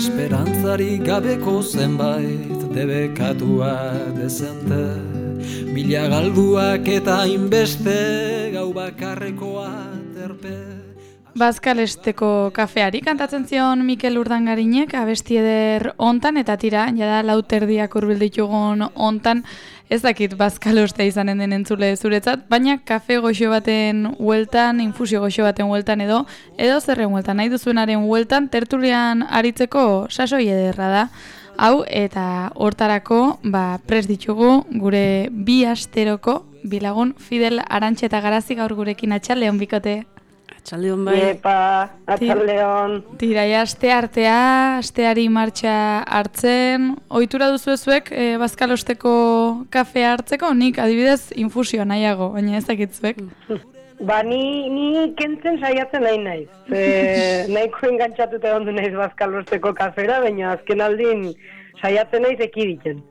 esperantzari gabeko zenbait debekatua dezente, mila galduak eta hainbeste gau bakarrekoa terpe. Bazkalesteko kafeari kantatzen zion Mikel Urdangarinek abesti eder hontan, eta tira, jada lauterdiak hurbil ditugun hontan, ez dakit bazkaloste izanen den entzule zuretzat, baina kafe goxo baten hueltan, infusio goxo baten hueltan edo zerren hueltan, nahi duzuenaren hueltan, tertulian aritzeko sasoi ederra da. Hau, eta hortarako prest ditugu gure bi asteroko bilagun Fidel Arantxe eta Garazi gaur gurekin. Atxaldeon bikote. Atxaldeon bai. Epa, atxaldeon. Tiraia asteari martxa hartzen. Ohitura duzuezuek bazkalosteko kafea hartzeko? Nik adibidez infusioa nahiago, baina ez dakitzuek. Ni kentzen saiatzen naiz. Nahiko engantzatuta ondu naiz bazkalosteko kafera, baina azken aldin saiatzen naiz ekiditen.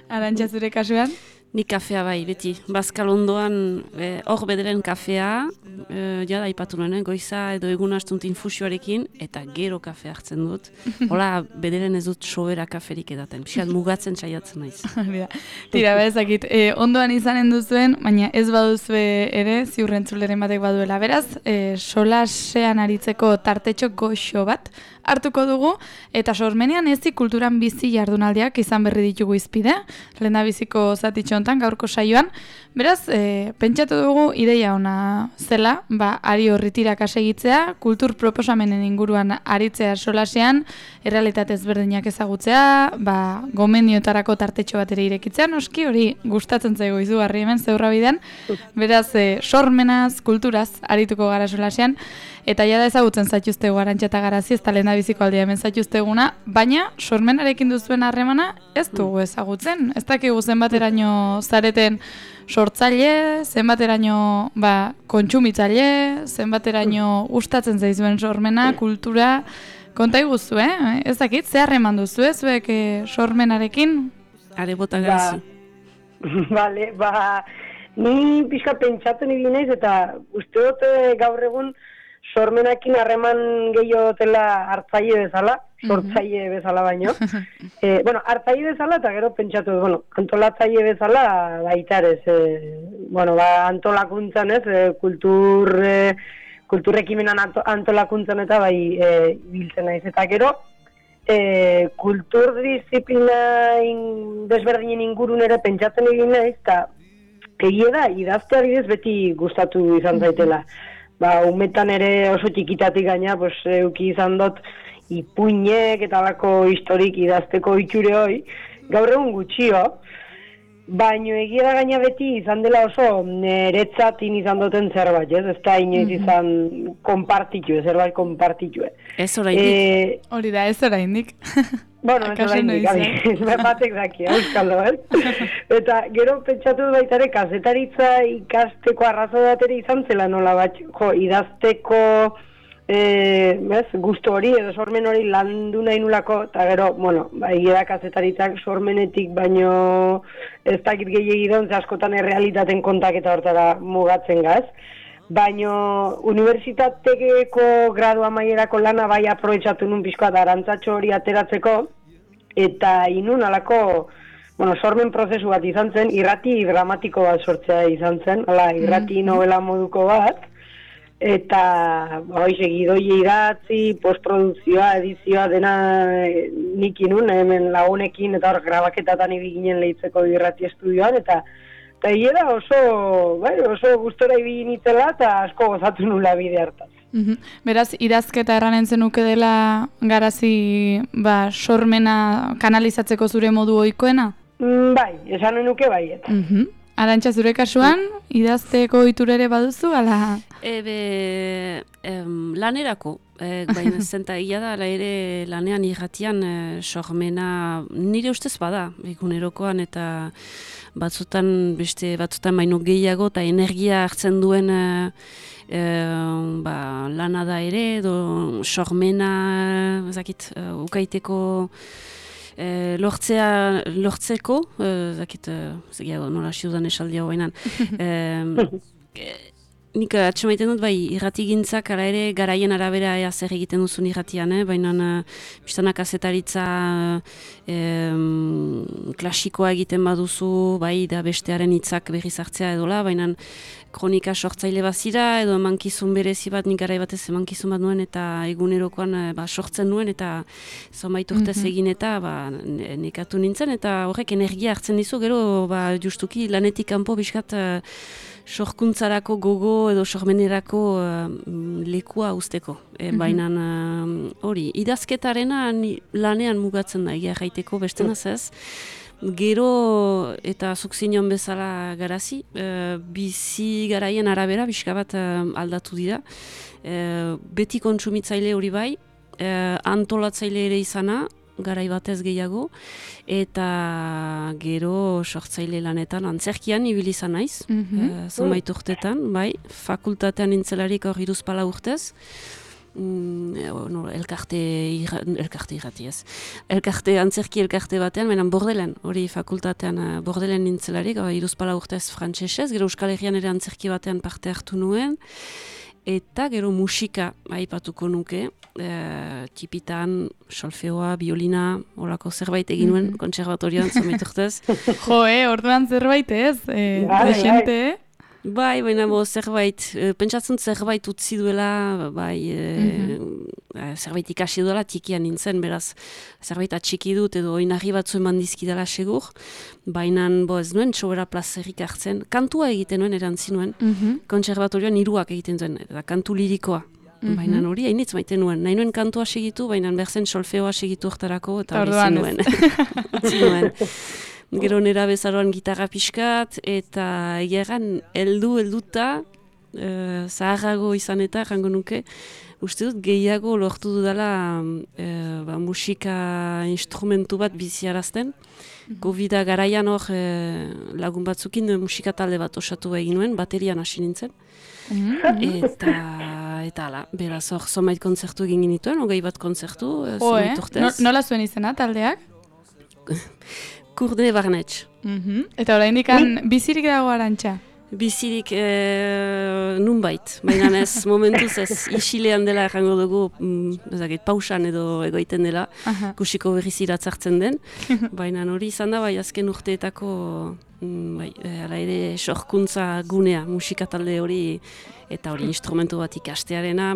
Arantxa zure kasuan? Nik kafea bai, beti. Bazkal ondoan, hor bederen kafea, jada aipatu nuen, goiza edo egun astunt infusioarekin, eta gero kafea hartzen dut. Hola, bederen ez dut sobera kaferik edaten. Pixat mugatzen saiatzen naiz. Tira, ezakit, ondoan izanen duzuen, baina ez baduzue ere, ziurrentzuleren batek baduela. Beraz, solasean aritzeko tartetxo goxo bat hartuko dugu, eta sormenean ezi kulturan bizi jardunaldiak izan berri ditugu izpide, lehendabiziko zatitxo hontan gaurko saioan. Beraz, pentsatu dugu ideia ona zela, ari horritirak asegitzea, kultur proposamenen inguruan aritzea solasean, errealitate ezberdinak ezagutzea, gomendiotarako tartetxo bat ere irekitzea, noski hori gustatzen zaigu izugarri hemen zeurra bidean. Beraz, sormenaz, kulturaz arituko gara solasean, eta jada ezagutzen zaituztegu Arantxa eta Garazi, ez da lehendabiziko aldia hemen zaituzteguna, baina sormenarekin duzuen harremana ez dugu ezagutzen. Ez dakigu zenbateraino zareten sortzaile, zenbateraino kontsumitzaile, zenbateraino gustatzen zaizuen sormena, kultura, konta iguzu, Ez dakit, ze harreman duzu, zuek sormenarekin? Are bota Garazi. Bale, ni pixka pentsatzen ibili naiz, eta uste dut gaur egun sormenakin harreman gehiago dela hartzaile bezala, sortzaile bezala baino. Hartzaile bezala eta gero pentsatu, antolatzaile bezala baitarez. Antolakuntzan ez, kulturrekimenan antolakuntzan eta biltzen naiz. Eta gero, kulturdisziplina desberdinen ingurun ere pentsatzen egin naiz, eta egia da, idaztea bidez beti gustatu izan zaitela. Umetan ere oso txikitatik gaina, euki izan dut ipuinek eta lako historik idazteko itxure hoi, gaur egun gutxio, baino egia da gaina beti izan dela oso neretzatin izan duten zerbait, ez da inoiz izan zerbait konpartitue. Ez oraindik. Hori da, ez oraindik. Ez oraindik, batek daki, euskaldo, Eta gero pentsatu baitare kazetaritza ikasteko arrazo bateri izan zela nola bat, idazteko gustu hori edo sormen hori landu nahi nulako, eta gero, egia kazetaritzak sormenetik baino ez dakit gehiagidon, askotan errealitaten kontaketa hortara mugatzen gaz. Baino unibertsitateko gradu amaierako lana bai aprobetxatu nun pixkoa da arantzatxo hori ateratzeko, eta inun alako sormen prozesu bat izan zen, irrati dramatiko bat sortzea izan zen, irrati novela moduko bat, eta segidoie idatzi, postprodukzioa, edizioa dena nik inun, hemen lagunekin eta hor grabaketatan ibiginen lehitzeko irrati estudioan, eta hiera oso gustora ibili nitzela eta asko gozatu nula bide hartaz. Beraz, idazketa erranen zenuke dela Garazi sormena kanalizatzeko zure modu ohikoena? Bai, esan nuke bai. Arantxa, zure kasuan, idazteko ohitura ere baduzu, ala? Lanerako, baina zenta ia da, ere lanean irratian sormena nire ustez bada, egunerokoan eta batzutan baino gehiago eta energia hartzen duen lana da ere, edo sormena, ukaiteko lortzeko, nola siudan esaldia hoenan, nik atxemaiten dut, bai, irratigintzak ara ere garaien arabera ea zer egiten duzun irratian, baina biztanak azetaritza klasikoa egiten baduzu, bai, da bestearen hitzak berriz hartzea edola, baina kronika sortzaile bazira, edo emankizun berezi bat, nik garai batez emankizun bat nuen, eta egunerokoan sortzen nuen, eta zonbait urtez egin eta nekatu nintzen, eta horrek energia hartzen dizu, gero justuki lanetik kanpo bizkat sorkuntzarako gogo edo sormenerako lekua usteko. Baina hori, idazketarena lanean mugatzen da, egia jaiteko bestenaz ez. Gero eta zuk zinon bezala garazi, bizi garaien arabera bizka bat aldatu dira. Beti kontsumitzaile hori bai, antolatzaile ere izana, garai batez gehiago, eta gero sortzaile lanetan antzerkian ibili izan naiz, zonbait urtetan, bai, fakultatean nintzelarik hor 3 urtez, antzerki elkarte batean, menan Bordelen, hori fakultatean Bordelen nintzelarik, 3 urtez frantsesez, gero Euskal Herrian ere antzerki batean parte hartu nuen, eta gero musika aipatuko nuke, tipitan, solfeoa, biolina, horako zerbait egin nuen, kontserbatorioan, zonbait urtez. Orduan zerbait ez, desente, Bai, baina zerbait, pentsatzen zerbait utzi duela, zerbait ikasi duela txikian nintzen, beraz, zerbait atxiki dut edo oinarri batzu eman dizkidala segur, baina ez nuen sobera plazerik hartzen, kantua egiten nuen, erantzi nuen, kontserbatorioan 3 egiten zuen, eta kantu lirikoa. Baina hori hainitz maite nuen. Nahi nuen kantua segitu, baina berzen solfeoa segitu hortarako, eta hori zin nuen. Utzi nuen. Gero nera bezaroan gitarra pixkat, eta egeran helduta, zaharrago izan eta, jango nuke, uste dut gehiago lortu dudala musika instrumentu bat biziarazten. Covid-a garaian hor lagun batzukin musika talde bat osatu egin nuen, baterian hasi nintzen. Eta ala, beraz hor zonbait kontzertu egin genituen, 20 kontzertu, zonbait urtez. Nola zuen izena taldeak? Kurde Barnetx. Eta oraindik bizirik dago Arantxa? Bizirik nunbait, baina ez momentuz ez isilean dela errango dugu, pausan edo egoiten dela, kusiko berriz iratzartzen den, baina hori izan da, bai, azken urteetako ala ere sorkuntza gunea, musika talde hori, eta hori instrumentu bat ikastearena,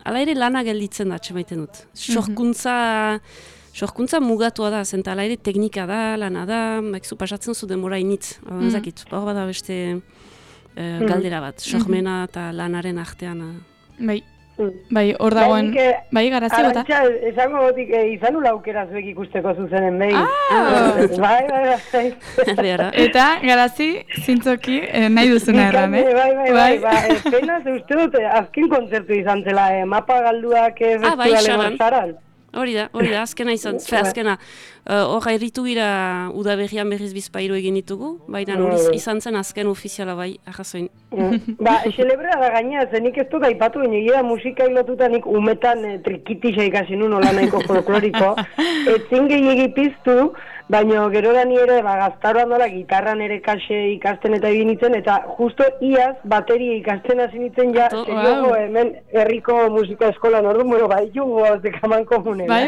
ala ere lana gelditzen da, txemaiten dut. Sorkuntza mugatua da, zenta ala ere teknika da, lana da, zu pasatzen zu demora initz, ezakit, hor bada beste galdera bat, sormena eta lanaren artean. Bai, hor dagoen, bai, garazi bota? Arantxa, esango gotik izan ula aukera zuek ikusteko zuzenen, behin. Bai. Eta, garazi, zintzoki, nahi duzuna erran, Bai, penaz, uste dut, azken kontzertu izan zela, mapa galduak festivaleko zaran. Hori da, azkena izan, azkena. Hor erritu gira udaberrian berriz bizpairu egin ditugu, baina hori izan zen azken ofiziala bai, arrazoin. Celebrea da gaina, zenik ez dut aipatu, egia musika hilotuta nik umetan trikitisa ikasi nun hola nahiko folkloriko, etzin gehiagi piztu, baina gero da ni ere gaztaroan dola gitarran ere kase ikasten eta egin nintzen, eta justo iaz bateria ikasten hasi nintzen ja, seriogo hemen herriko musika eskolan ordu, bai jugo zekaman komune. Bai,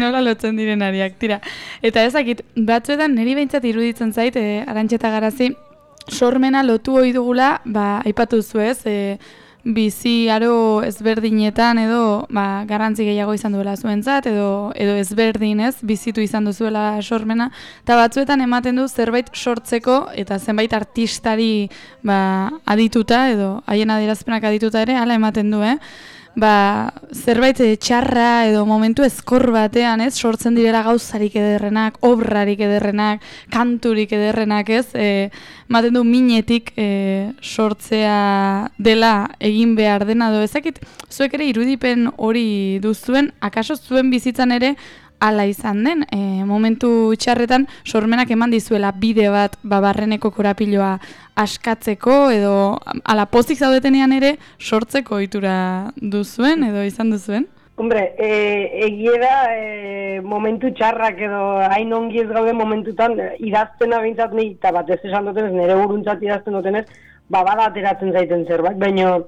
nola lotzen direnariak, tira. Eta ezakit, batzuetan niri behintzat iruditzen zait, Arantxa eta Garazi, sormena lotu ohi dugula, aipatu zuez, bizi aro ezberdinetan edo garrantzi gehiago izan duela zuentzat edo ezberdinez bizitu izan duzuela sormena, eta batzuetan ematen du zerbait sortzeko eta zenbait artistari adituta edo haien adierazpenak adituta ere hala ematen du, zerbait txarra edo momentu ezkor batean, sortzen direla gauzarik ederrenak, obrarik ederrenak, kanturik ederrenak, ematen du minetik sortzea dela egin behar dena edo ezakit, zuek ere irudipen hori duzuen, akaso zuen bizitzan ere hala izan den, momentu txarretan sormenak eman dizuela bide bat barreneko korapiloa askatzeko edo ala pozik zaudetenean ere sortzeko ohitura duzuen edo izan duzuen? Hombre, egia da momentu txarrak edo hain ongi ez gaude momentutan idaztena behintzat nahi, eta batez esan dutenez, nire buruntzat idazten dutenez, bada ateratzen zaiten zerbait, baina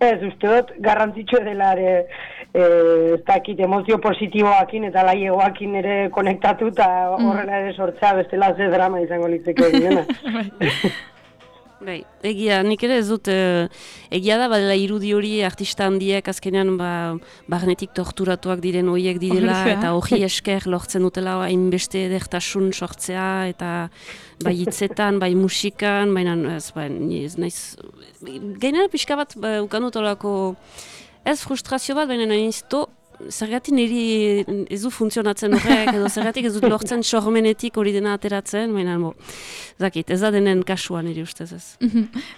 ez, uste dut, garrantzitsu dela ere, ez dakit, emozio positiboakin eta laiegoakin ere konektatu eta horrela ere sortzea bestela ze drama izango litzeke dena. Bai, egia, nik ere ez dut, egia da, badela irudi hori artista handiek azkenean barnetik torturatuak diren horiek direla, eta hori esker lortzen dutela hainbeste edertasun sortzea, eta bai hitzetan, bai musikan, baina ez naiz, gainera pixka bat ukandut olako, ez frustrazio bat, baina nahiz zergatik niri ez du funtzionatzen horrek, edo zergatik ez dut lortzen sormenetik hori dena ateratzen, baina zakit, ez da denen kasua niri ustez ez.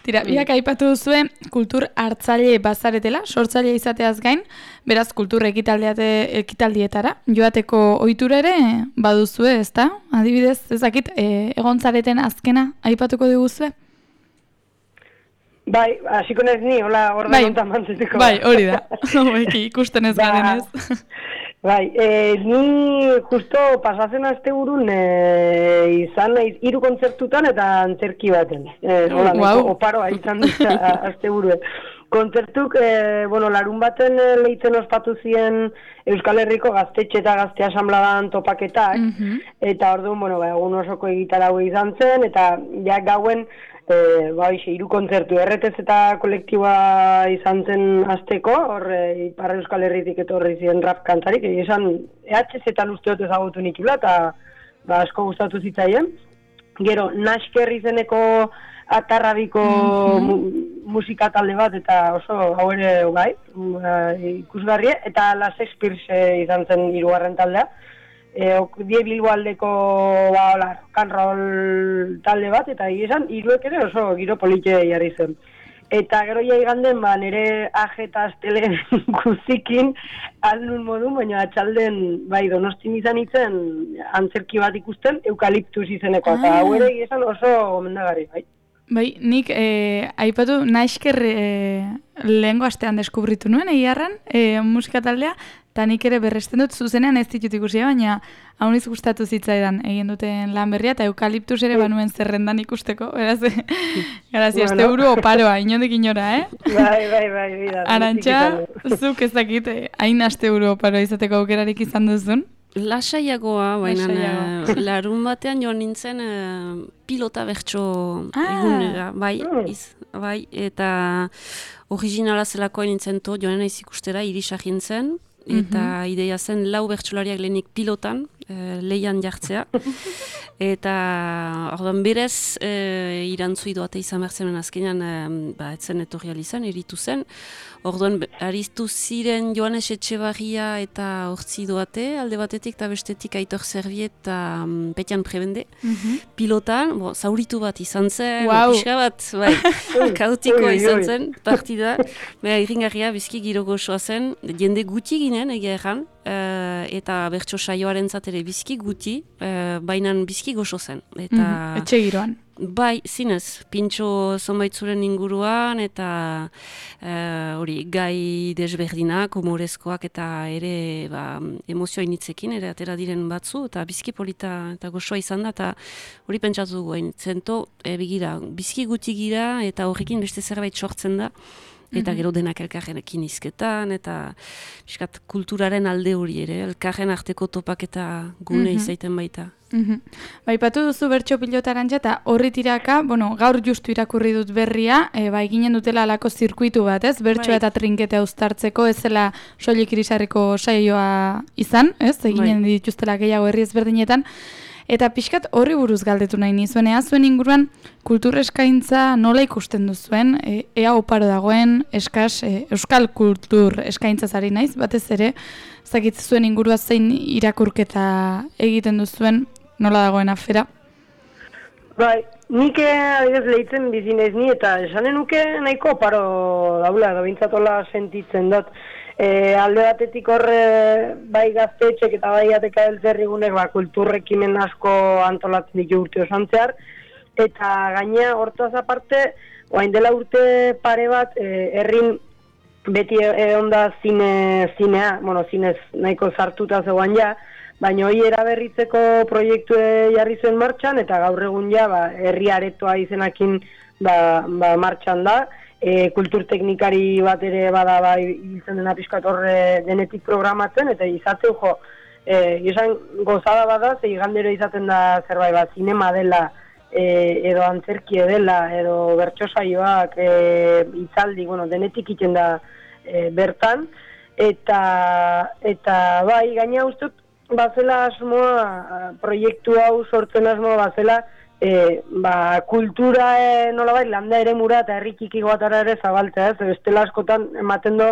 Tira, biak aipatu duzue kultur hartzaile bazaretela, sortzaile izateaz gain, beraz kultur ekitaldietara, joateko ohitura ere baduzue, ezta? Adibidez, ezakit, egon zareten azkena aipatuko diguzue? Bai, hasiko naiz ni, hola orde kontan mantzeteko. Bai, hori da, ikusten ez garen ez. Bai, ni justo pasatzen asteburun izan naiz 3 kontzertutan eta antzerki baten. Oparoa izan dut asteburu. Kontzertuk, larun baten lehitzen ospatu ziren Euskal Herriko gaztetxe eta gazte asanbladan topaketak, eta orduan, egun osoko egitarau izan zen, eta ja gauen 3 kontzertu erretez eta kolektiboa izan zen azteko, hor Ipar Euskal Herritik etorri ziren rap kantarik, esan EHZ-etan uste dut ezagutu nikula, eta asko gustatu zitzaien. Gero, Nasker izeneko atarrabiko musika talde bat, eta oso hau ere ikusgarrie, eta La Shakespeare izan zen 3. taldea. Die Bilbo aldeko rock and roll talde bat, eta esan, 3 ere oso giro politxe jarri zen. Eta gero iganden, nire ajeta astelen guzikin aldun modu, baina atxalden, Donostin izan itzen, antzerki bat ikusten, eukaliptus izeneko, eta hau ere esan oso gomendagarri, bai. Bai, nik aipatu Nasker lehengo astean deskubritu nuen, egiarran, musika taldea, eta nik ere berresten dut zuzenean ez ditut ikusia, baina hauniz gustatu zitzaidan egin duten lan berria, eta eukaliptus ere banuen zerrendan ikusteko, beraz, grazia, asteburu oparoa, inondik inora, Bai. Arantxa, zuk ez dakit, hain asteburu oparoa izateko aukerarik izan duzun? Lasaiagoa, baina larun batean joan nintzen pilota bertso egunera, bai, eta originala zelakoa nintzen joan naiz ikustera, Irisa jintzen, eta ideia zen 4 bertsolariak lehenik pilotan, leian jartzea, eta orduan berez irantzu idoate izan behar zen azkenean, etzen etorri izan, eritu zen, orduan aritu ziren Joanes Etxebarria eta Hortzi doate, alde batetik eta bestetik Aitor Zerbiet eta Petian Prebende, pilotan, zauritu bat izan zen, pixka bat, kaotikoa izan zen, partida, irringarria bizki giro gozoa zen, jende guti ginen egia erran, eta bertso saioaren zatere bizki guti, bainan bizki gozo zen. Etxe giroan. Bai, zinez, pintxo zonbaitzuren inguruan, eta hori gai desberdinak, humorezkoak, eta ere emozioa initzekin, ere atera diren batzu, eta bizki polita eta gozoa izan da, eta hori pentsatu dugu zento, begira, bizki guti gira, eta horrekin beste zerbait sortzen da, eta gero denak elkarrenekin izketan, eta biskat, kulturaren alde hori ere, elkarren arteko topak eta gune izaiten baita. Baipatu duzu bertso pilota Arantxa, eta horri tiraka, gaur justu irakurri dut berria, ginen dutela alako zirkuitu bat, ez? Bertsoa eta trinketea uztartzeko, ez zela soilik Irisarriko saioa izan, ez? Eginen dituztela gehiago herri ezberdinetan. Eta pixkat horri buruz galdetu nahi nizuen, zuen inguruan kultur eskaintza nola ikusten duzuen, ea oparo dagoen euskal kultur eskaintzaz ari naiz, batez ere, zakit zuen ingurua zein irakurketa egiten duzuen, nola dagoen afera? Bai, nik adibidez lehitzen bizi naiz ni, eta esanen nuke nahiko oparo daula, da bintzatola sentitzen dut. Alde batetik horre bai gaztetxek eta bai ateka eltzerrigunek kulturrekimen asko antolatzen ditu urte osan zehar, eta gaina hortaz aparte, oain dela urte pare bat, herrin beti onda zinea, zinez nahiko zartuta zegoan ja, baina hori eraberritzeko proiektu jarri zuen martxan, eta gaur egun ja herri aretoa izenakin martxan da. Kulturteknikari bat ere bada ibiltzen dena pixkat horre denetik programatzen, eta izaten izan gozada bada, ze igandero izaten da zerbait bat, zinema dela, edo antzerkie dela, edo bertso saioak, hitzaldi, denetik iten da bertan, eta bai, gaina ustut, bazela asmoa, proiektu hau sortzen asmoa bazela, kultura nolabait landa eremura eta herri txiki batara ere zabaltzea, bestela askotan ematen do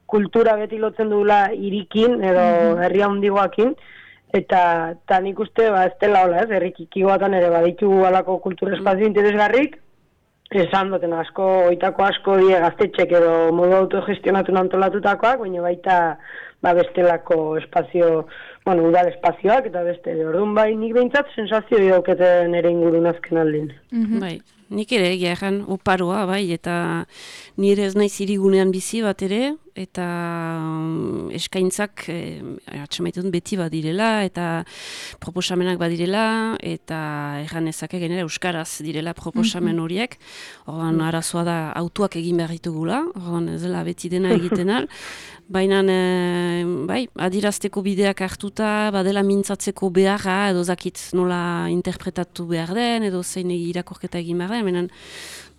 kultura beti lotzen dugula hirikin edo herri handigoekin, eta nik uste ez dela hola, herri txiki batan ere baditugu alako kultura espazio interesgarrik, esan duten oitako asko die gaztetxek edo modu autogestionatu antolatutakoak, baina baita bestelako espazio, udal espazioak eta beste, orduan bai nik behintzat sensazio dauketen ere ingurun azken aldin. Bai, nik ere egia egan oparoa, bai, eta nire ez naiz hirigunean bizi bat ere, eta eskaintzak atxamaitun beti badirela, eta proposamenak badirela, eta egan ezake genera euskaraz direla proposamen horiek, orduan arazoa da autuak egin behar ditugula, orduan ez dela beti dena egiten al, baina bai, adirazteko bideak hartuta, badela mintzatzeko beharra, edo zakit nola interpretatu behar den, edo zein irakorketa egin behar den, baina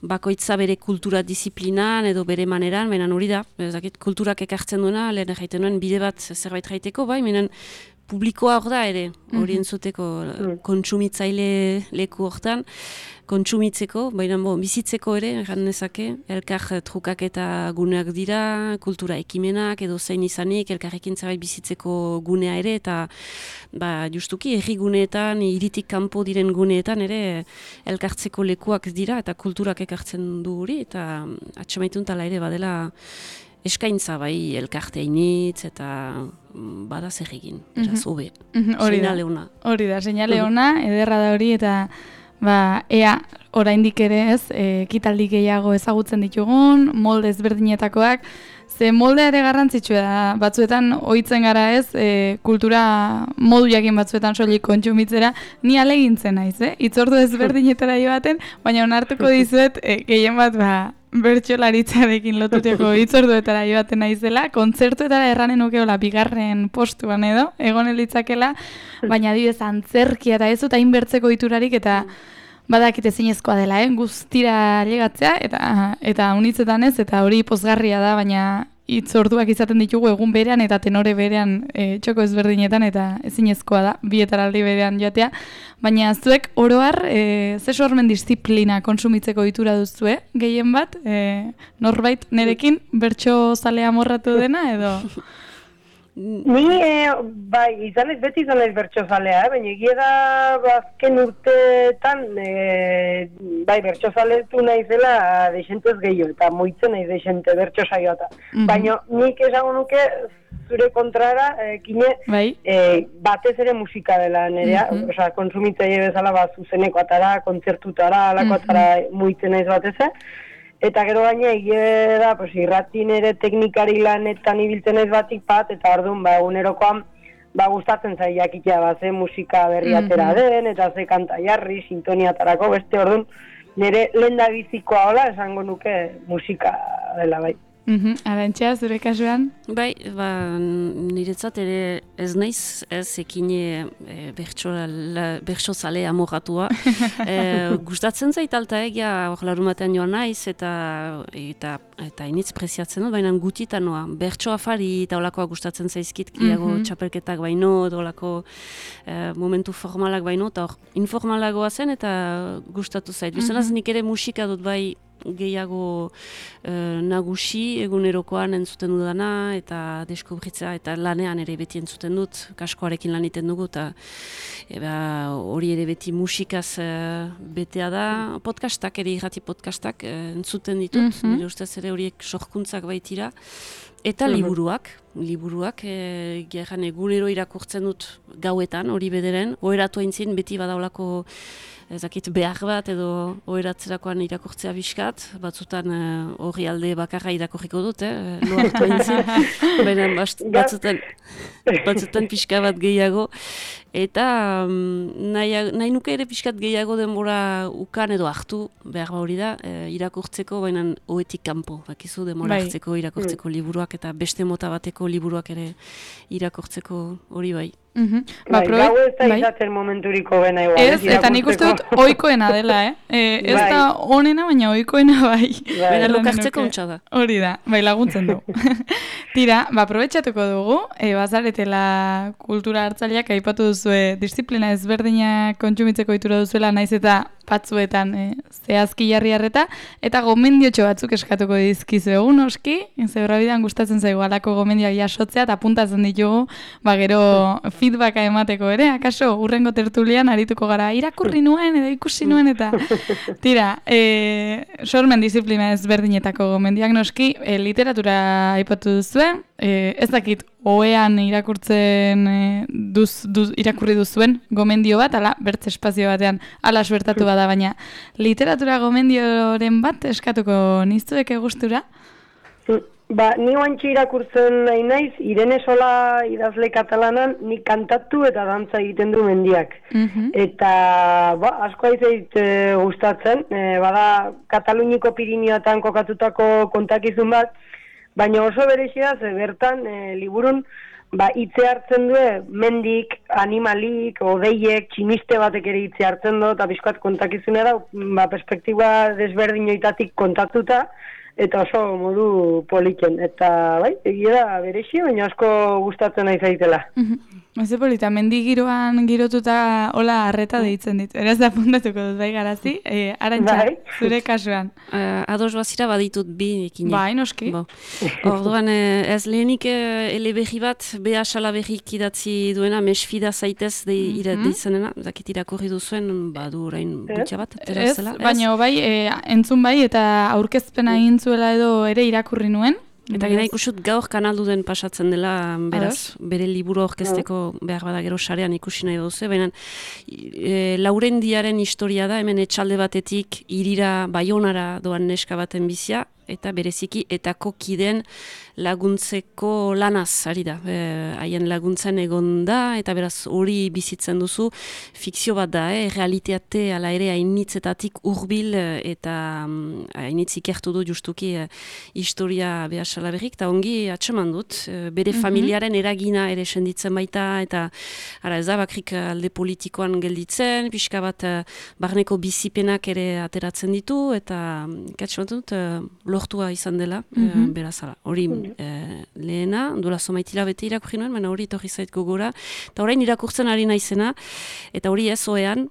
bakoitza bere kultura disiplinan edo bere maneran, baina hori da, zakit kulturak ekartzen duena, lehen erraiten duen bide bat zerbait raiteko, bai, baina publikoa hor da ere, hori entzuteko kontsumitzaile leku hortan, kontsumitzeko, baina bizitzeko ere, erran nezake, elkar trukak eta guneak dira, kultura ekimenak edo zein izanik, elkarrekin zerbait bizitzeko gunea ere, eta justuki herri guneetan, hiritik kanpo diren guneetan ere elkartzeko lekuak dira, eta kulturak ekartzen du hori, eta atxamaitun tala ere badela eskaintza bai elkarteainitz eta bada zer egin, eraz, hobe. Seinale ona. Hori da, seinale ona, ederra da hori, eta ea oraindik ere ez, ekitaldi gehiago ezagutzen ditugun, molde ezberdinetakoak, ze moldea ere garrantzitsua da, batzuetan ohitzen gara ez, kultura modu jakin batzuetan soilik kontsumitzera, ni alegintzen naiz, hitzordu ezberdinetara joaten, baina onartuko dizuet, gehien bat bertsolaritzarekin lotuteko hitzorduetara joaten naizela, kontzertuetara erranen nukeola bigarren postuan edo, egon elitzakela, baina adibidez antzerkia eta ez dut hain bertzeko iturarik eta badakit ezinezkoa dela, guztira llegatzea eta unitzetan ez, eta hori pozgarria da, baina hitzorduak izaten ditugu egun berean eta tenore berean txoko ezberdinetan eta ezinezkoa da, bietaraldi berean joatea, baina zuek oroar ze sormen disiplina kontsumitzeko ohitura duzue, gehien bat, norbait nerekin bertso zalea amorratu dena edo? Ni, beti izan ez bertxozalea, baina egia da azken urteetan, bertxozaletu naizela deixentez gehiago, eta moitzen naiz deixente bertxosaioa eta. Baina nik esango nuke zure kontrara, batez ere musika dela nerea, kontsumitzaile bezala zuzeneko atara, kontzertutara, alako atara moitzen naiz batez, eta gero baina egia da, irratin ere teknikari lanetan ibiltzen ez batik bat, eta orduan, egunerokoan, gustatzen zai jakitea, ze musika berri atera den, eta ze kanta jarri, sintoniatarako, beste orduan, nire lendabizikoa hola, esango nuke musika dela, bai. Arantxa, zure kasuan? Bai, niretzat ere ez naiz, ez ekine bertsozale amoratua. Gustatzen zait alta egia, larumatean joan naiz, eta initz preziatzen dut, baina gutitan noa. Bertso afari eta olakoa gustatzen zaizkit, gehiago txapelketak baino, olako momentu formalak baino, eta informalagoa zen, eta gustatu zait. Bizanaz nik ere musika dut bai, gehiago nagusi egunerokoan entzuten dudana eta deskubritza eta lanean ere beti entzuten dut, kaskoarekin lan iten dugu eta hori ere beti musikaz betea da, podcastak ere irrati podcastak entzuten ditut, nire ustez ere horiek sorkuntzak baitira. Eta liburuak, gerran egunero irakurtzen dut gauetan, hori bederen, oheratu aintzin beti badaulako ezakit behar bat edo oheratzerakoan irakurtzea biskat, batzutan hori alde bakarra irakurriko dut, loartu aintzin, baina batzutan pixka bat gehiago. eta nahi nuke ere pixkat gehiago denbora ukan edo hartu, behar hori da, irakurtzeko, baina oetik kanpo, bakizu denbora hartzeko irakurtzeko liburuak, eta beste mota bateko liburuak ere irakurtzeko hori bai. Gau ez da izaten momenturiko bena igual. Ez, eta nik uste dut oikoena dela, ez da onena, baina oikoena bai. Baina lokartzeko ontsa da. Hori da, bai laguntzen du. Tira, aprobetxatuko dugu, bazaretela kultura hartzaileak aipatu duzue disiplina ezberdinak kontsumitzeko itura duzuela, naiz eta batzuetan zehazki jarri harreta, eta gomendiotxo batzuk eskatuko dizkizuegu noski, zebrabidean gustatzen zaigu alako gomendioak jasotzea, eta apuntatzen ditugu, gero feedbacka emateko ere, akaso urrengo tertulian arituko gara, irakurri nuen edo ikusi nuen, eta tira, sormen disiplina ezberdinetako gomendiak noski, literatura aipatu duzuen, ez dakit, oean irakurtzen irakurri duzuen gomendio bat, ala, bertze espazio batean, ala suertatu bada, baina literatura gomendioren bat eskatuko niztueke gustura? Ni oantxe irakurtzen nahi naiz, Irene Sola idazle katalanan, nik kantatu eta dantza egiten du mendiak. Eta asko aizeit gustatzen, bada Kataluniko Pirinioetan kokatutako kontakizun bat, baina oso berezia da, bertan liburun hitze hartzen du mendik, animalik, odeiek, tximiste batek ere hitze hartzen du, eta bizkoat kontakizunea da, perspektiba desberdinoitatik kontatuta, eta oso modu poliken. Eta egia da berezia, baina asko gustatzen nahi zaitela. Eze polita, mendigiroan girotuta hola arreta deitzen dit. Eraz da puntatuko dut, bai garazi? Arantxa, zure kasuan. Ados bazira baditut bi ekin. Bai, noski. Orduan, ez lehenik eleberri bat, beha salaberrik idatzi duena, mesfida zaitez deizenena, dakit irakurri duzuen, badu orain butxa bat, terazela. Ez, baina bai, entzun bai, eta aurkezpena egin zuela edo ere irakurri nuen. Eta gena ikusut gaur kanaldu den pasatzen dela, beraz, bere liburu aurkezteko behar bada gero sarean ikusi nahi duzu, baina Laurendiaren historia da, hemen etxalde batetik irira Baionara doan neska baten bizia, eta bereziki etako kideen laguntzeko lanaz, ari da. Haien laguntzen egon da, eta beraz hori bizitzen duzu, fikzio bat da, realiteate ala ere hainitzetatik hurbil eta hainitz ikertu du justuki historia behar salaberrik, eta ongi atseman dut, bere familiaren eragina ere senditzen baita, eta ez da bakrik alde politikoan gelditzen, pixka bat barneko bizipenak ere ateratzen ditu, eta atseman dut, lortua izan dela, berazala. Hori lehena, duela somaitila bete irakurri nuen, baina hori etorri zait gogora. Eta orain irakurtzen ari naizena, eta hori ez oean,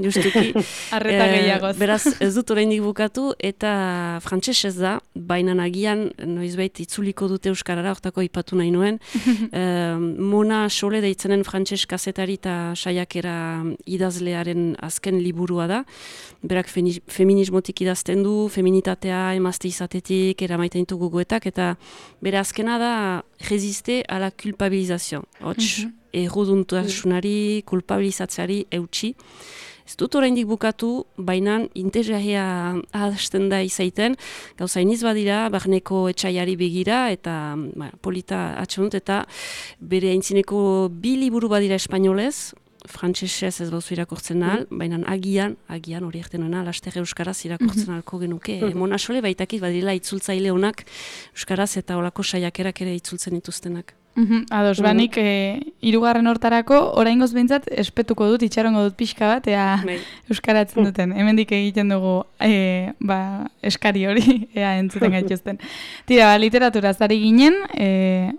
justuki. Arreta gehiagoz. Beraz, ez dut oraindik bukatu, eta frantses ez da, baina nagian, noizbait itzuliko dute euskarara, hortako ipatu nahi nuen. Mona Sole deitzenen frantses kazetari eta saiakera idazlearen azken liburua da. Berak feminismotik idazten du, feminitatea, emazte izatetik, eramaiten ditu gogoetak, eta bere azkena da resiste a la culpabilizazio. Hots, erruduntasunari, kulpabilizatzeari eutxi. Ez dut oraindik bukatu, baina interesgarria hasten da izaiten, gauza iniz badira, barneko etxaiari begira, eta polita atxonut, eta bere aintzineko bi liburu badira espainolez, frantsesez ez bauzu irakurtzen ahal, baina agian hori erten nuena, laster euskaraz irakurtzen ahalko genuke. Mona Sole baitakit badira itzultzaile honak euskaraz eta olako saiakerak ere itzultzen dituztenak. Ados, banik hirugarren hortarako oraingoz behintzat espetuko dut, itxarongo dut pixka bat, ea euskaratzen duten. Hemendik egiten dugu eskari hori, ea entzuten gaituzten. Tira, literatura zari ginen,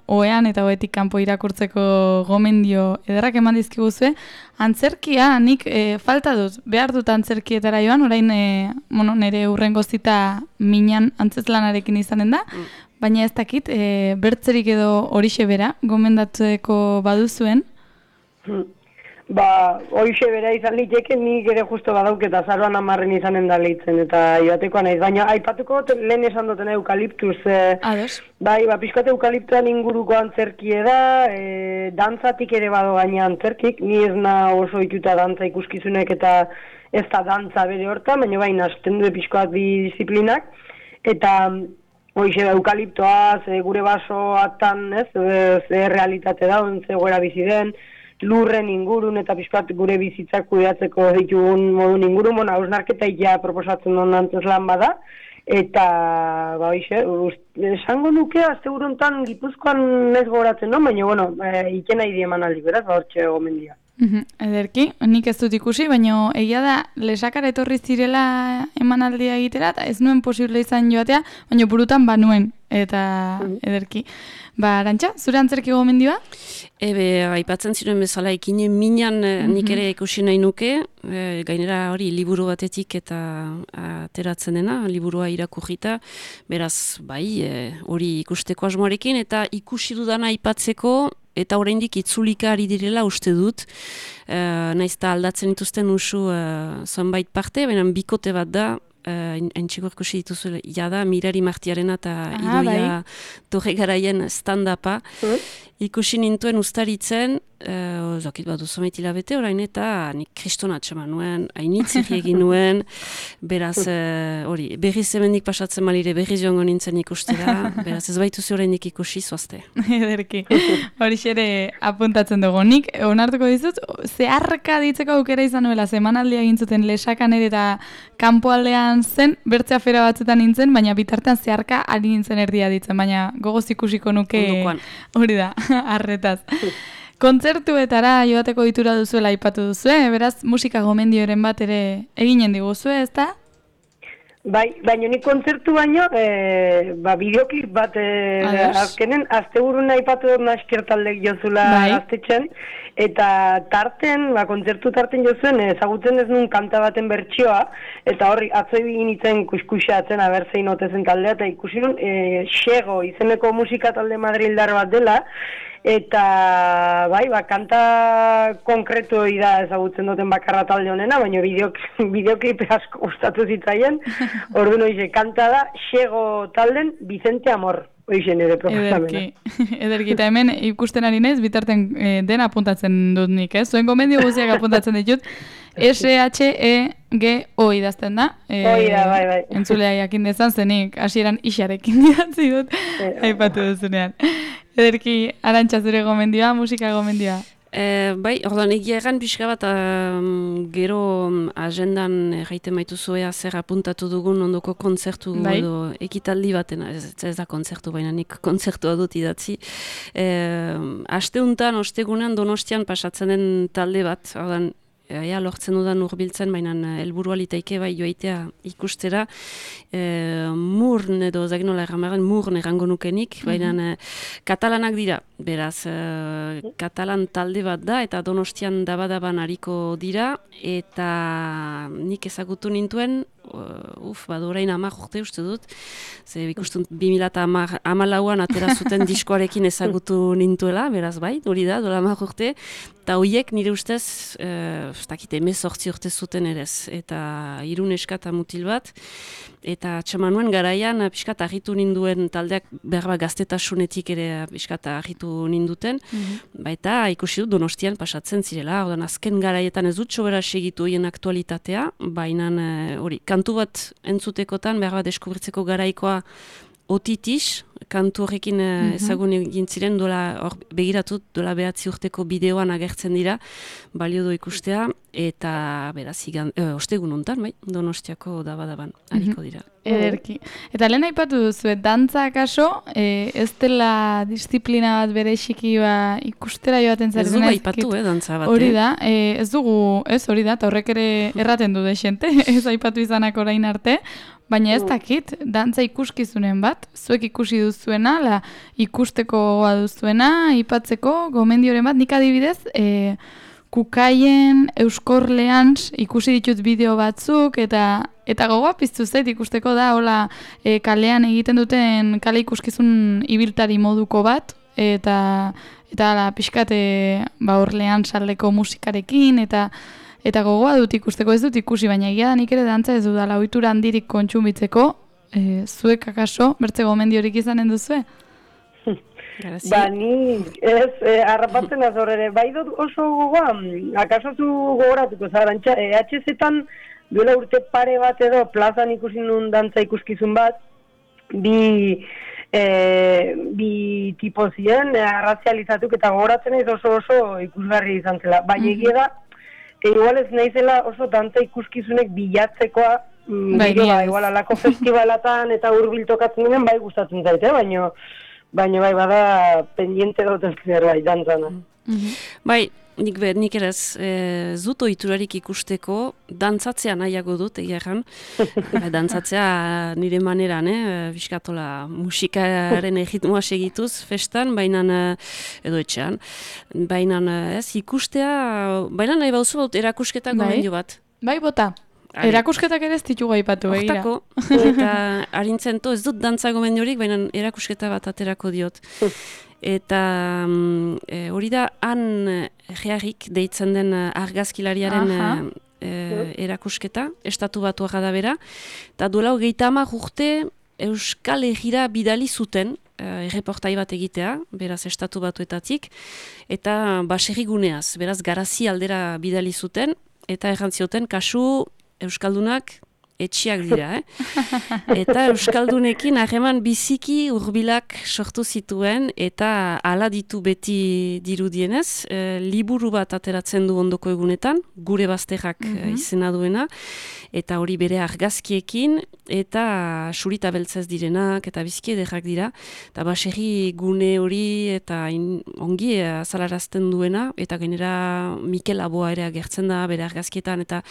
oean eta oetik kanpo irakurtzeko gomendio ederrak eman dizkiguzue, antzerkia, nik falta dut, behar dut antzerkietara joan, orain nire urrengo zita minan antzeslanarekin izanen da, baina ez dakit, bertzerik edo horixe bera, gomendatzeko baduzuen? Horixe bera izan liteke, nik ere justo badauk eta zaroan 10 izanen da lehitzen, eta joatekoa naiz. Baina aipatuko lehen esan duten eukaliptuz. Ados. Pixkat eukaliptuan inguruko antzerkie da, dantzatik ere bado gaina antzerkik, ni ez na oso ikuta dantza ikuskizunek eta ez da dantza bere hortan, baina baina hasten du pixkoat bi disiplinak, eta hoize eukaliptoa, gure basoatan, ze realitate da, ze goera bizi den, lurren ingurun eta pixkat gure bizitzak kudeatzeko ditugun modun ingurun, hausnarketa ja proposatzen duen antzeslan bada, eta, esango nuke, azte buruntan Gipuzkoan ez goratzen, no? Baina, ikena idi emanaldi, beraz, hortxe gomendia. Ederki, nik ez dut ikusi, baina egia da lesakara etorri zirela emanaldia egitera, eta ez nuen posible izan joatea, baina burutan banuen, eta ederki. Arantxa, zure antzerki gomendioa? Aipatzen ziren bezala, ikine minan nik ere ikusi nahi nuke, gainera hori liburu batetik eta ateratzen dena, liburua irakurrita, beraz, hori ikusteko asmoarekin, eta ikusi dudana aipatzeko, eta oraindik itzulika ari direla uste dut, naiz eta aldatzen dituzten usu zonbait parte, baina bikote bat da, entxiko ikusi dituzu jada, Mirari Martiarena eta Idoia Torregaraien stand-upa. Ikusi nintuen ustaritzen, zakit bat duzomait hilabete orain, eta nik kriston atxeman nuen, hainitzik egin nuen, beraz, hori, berriz hemendik pasatzen malire, berriz joango nintzen ikustera, beraz ez baituzu oraindik ikusi zoazte. Ederki, hori xere apuntatzen dugu. Nik, onartuko dizut, zeharka ditzeko aukera izan nuela, semanaldia egin zuten lesakan ere eta kanpoaldean zen, bertze afera batzetan nintzen, baina bitartean zeharka ari nintzen erdia ditzen, baina gogoz ikusiko nuke hori da, arretaz. Kontzertuetara joateko ditura duzuela aipatu duzue, beraz musika gomendioren bat ere eginen diguzue, ezta? Bai, baina nik kontzertu baino, bideoklip bat azkenen, asteburuna aipatu dut naskertaldek jozula gaztetxen, eta tarten, kontzertu tarten jozuen, ezagutzen ez nun kanta baten bertsioa, eta horri atzoi egin itzen kuskuxeatzen, abertzein otezen taldea, eta ikusi nun, Xego izeneko musika talde madrildar bat dela, eta kanta konkretu da ezagutzen duten bakarra talde honena, baina bideoklip asko gustatu zitzaien. Orduan hoize, kanta da Xego talden Vicente Amor. Hoize nire proposamena. Ederki, eta hemen ikusten ari naiz, bitarten dena apuntatzen dut nik, ez? Zuen gomendio guziak apuntatzen ditut. SHEGO idazten da. Hoi da, bai. Entzulea jakin dezan, zenik hasieran isarekin idatzi dut, aipatu duzunean. Ederki, Arantxa, zure gomendioa, musika gomendioa? Ordan egia egan pixka bat gero agendan erraiten baituzu zer apuntatu dugun ondoko kontzertu edo ekitaldi batena, ez da kontzertu baina nik kontzertua dut idatzi. Asteuntan, ostegunean Donostian pasatzen den talde bat, ordan lortzen dudan urbiltzen, baina helburua litaike bai joaitea ikustera. Murn edo zaginola erramaren murn errango nukenik, baina katalanak dira. Beraz, katalan talde bat da, eta Donostian dabadaban hariko dira, eta nik ezagutu nintuen, orain 10 urte uste dut, ze ikustun 2014an atera zuten diskoarekin ezagutu nintuela, beraz bai, hori da, dola 10 urte, eta horiek nire ustez, 18 urte zuten erez, eta 3 neska eta mutil bat, eta txamanuen garaian pixkat argitu ninduen taldeak berba gaztetasunetik ere pixkat argitu ninduten, baita ikusi dut Donostian pasatzen zirela, azken garaietan ez dut sobera segitu hien aktualitatea, baina hori, kantu bat entzutekotan berba deskubritzeko garaikoa Otitis, kantu horrekin ezagun egin ziren, begiratut, dola 9 urteko bideoan agertzen dira, balio du ikustea, eta beraz, ostegun hontan, Donostiako dabadaban, hariko dira. Ederki. Eta lehen aipatu duzu, dantza akaso, ez dela disiplina bat bereziki ikustera joaten zaren. Ez dugu aipatu, dantza bat. Hori da, ez dugu, ez hori da, eta horrek ere erraten du desente, ez aipatu izanak orain arte, baina ez dakit, dantza ikuskizunen bat, zuek ikusi duzuena, ikusteko gogoa duzuena, aipatzeko, gomendioren bat, nik adibidez, Kukaien, Euskorlean ikusi ditut bideo batzuk, eta gogoa piztu zait ikusteko da, hola, kalean egiten duten kale ikuskizun ibiltari moduko bat, eta pixkat Orlean saldeko musikarekin, eta gogoa dut ikusteko, ez dut ikusi, baina egia da nik ere dantza ez dudala ohitura handirik kontsumitzeko, zuek akaso, bertze gomendiorik izanen duzue? Ni ez, harrapatzen azorere, bai dut oso gogoa, akaso zu gogoratuko Arantxa, EHZ-etan duela urte pare bat edo plazan ikusi nun dantza ikuskizun bat, bi bi tipo ziren, arrazializatuk eta gogoratzen ez oso ikusgarri izan zela. Baina egia da, igual ez naizela oso dantza ikuskizunek bilatzekoa, igual alako festivalatan eta hurbil tokatzen denen bai gustatzen zaite, baina bai bada pendiente dut zerbait dantzana. Bai, nik eraz, zut ohiturarik ikusteko, dantzatzea nahiago dut, egia erran. Dantzatzea nire maneran, biskatola musikaren erritmoa segituz, festan, edo etxean. Baina ikustea, baina nahi bauzu baut erakusketa gomendio bat. Bai, bota. Erakusketak ere ez ditugu aipatu, begira. Hortako, eta harintzento, ez dut dantza gomendiorik, baina erakusketa bat aterako diot. Eta hori da, han geharrik deitzen den argazkilariaren erakusketa, estatu batuak da bera, eta duela 30 urte Euskal Herrira bidali zuten, erreportai bat egitea, beraz estatu batuetatik, eta baserriguneaz, beraz garazi aldera bidali zuten, eta errantzioten kasu Euskaldunak etxiak dira, Eta Euskaldunekin harreman biziki hurbilak sortu zituen, eta hala ditu beti dirudienez, liburu bat ateratzen du ondoko egunetan, gure bazterrak izena duena, eta hori bere argazkiekin, eta surita beltzez direnak, eta biziki ederrak dira, eta baserri gune hori, eta ongi azalarazten duena, eta gainera Mikel Aboa ere agertzen da, bere argazkietan, eta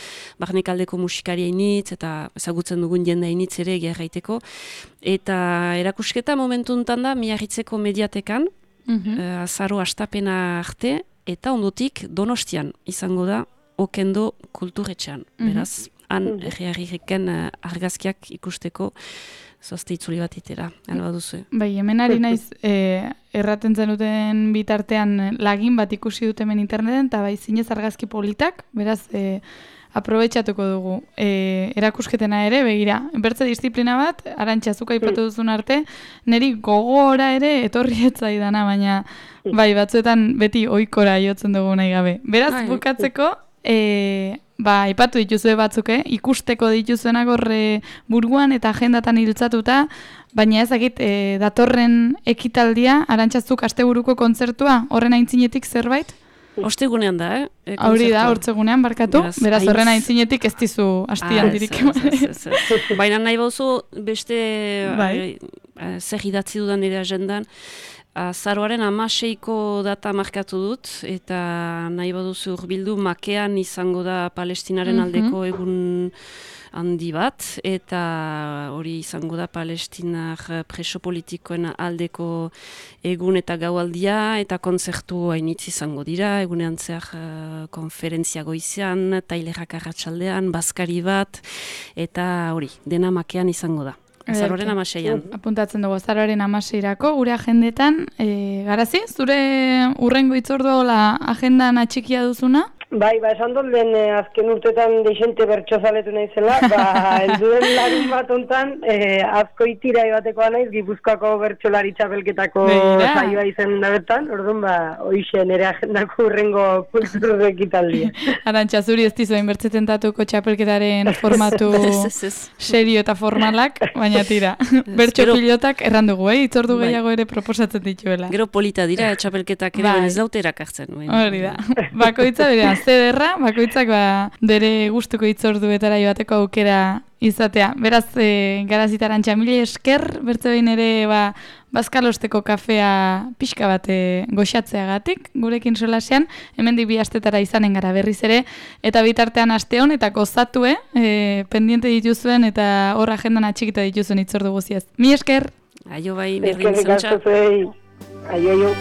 barnekaldeko musikaria initz, eta ezagutzen dugun jende initz ere gerraiteko. Eta erakusketa momentu untan da, Miarritzeko mediatekan, azaro astapena arte, eta ondotik Donostian izango da, Okendo kulturetxean. Beraz, han herriarriken argazkiak ikusteko, zoazte itzuli bat itera, alba duzu. Bai, hemen ari naiz, erraten zenuten bitartean lagin bat ikusi dut hemen interneten, eta bai zinez argazki politak, beraz, aprobetxatuko dugu. Erakusketena ere, begira, bertze disiplina bat, Arantxa zuka aipatu duzun arte, niri gogora ere etorri etzaidana, baina bai, batzuetan beti ohikora jotzen dugu nahi gabe. Beraz, bukatzeko, aipatu dituzue batzuk, ikusteko dituzuenak horre buruan eta agendatan hiltzatuta, baina ezagit datorren ekitaldia, Arantxa zuk asteburuko kontzertua, horren aintzinetik zerbait? Ostegunean da, Hori da, hortzegunean barkatu, beraz horren aintzinetik ez dizu hastian dirik. Baina nahi bauzu beste zer idatzi dudan nire agendan, azaroaren 16ko data markatu dut, eta nahi baduzu hurbildu Makean izango da Palestinaren aldeko egun handi bat, eta hori izango da Palestinar preso politikoen aldeko egun eta gaualdia, eta kontzertu hainitz izango dira, egunean zehar konferentzia goizean, tailerrak arratsaldean, bazkari bat, eta hori, dena Makean izango da. Azaroaren 16an. Apuntatzen dugu, azaroaren 16irako, gure agendetan, Garazi, zure urrengo itzordua agendan atxikia duzuna? Bai, esan dut lehen azken urtetan deixente bertxozaletu naizela, elduen larun bat ontan, azko itirai batekoa naiz, Gipuzkoako bertxolari txapelketako saioa izan da bertan, orduan, hoxe nire agendako urrengo kulturu ekitaldia. Arantxa, zuri ez dizu bertzetentatuko txapelketaren formatu serio eta formalak, baina tira, bertxo pilotak errandugu, itzordu gehiago ere proposatzen dituela. Gero polita dira, txapelketak ere ez daute erakartzen. Hori da, bakoitza berean, zederra, bakoitzak bere gustuko itzorduetara joateko aukera izatea. Beraz, Garazita Arantxa, mila esker, bertze behin ere bazkalosteko kafea pixka bat goxatzeagatik, gurekin solasean, hemendik 2 astetara izanen gara berriz ere, eta bitartean aste hon, eta gozatue, pendiente dituzuen, eta hor agendan atxikita dituzuen itzordu guziaz. Mila esker! Aio bai, berdin zantxa. Aio.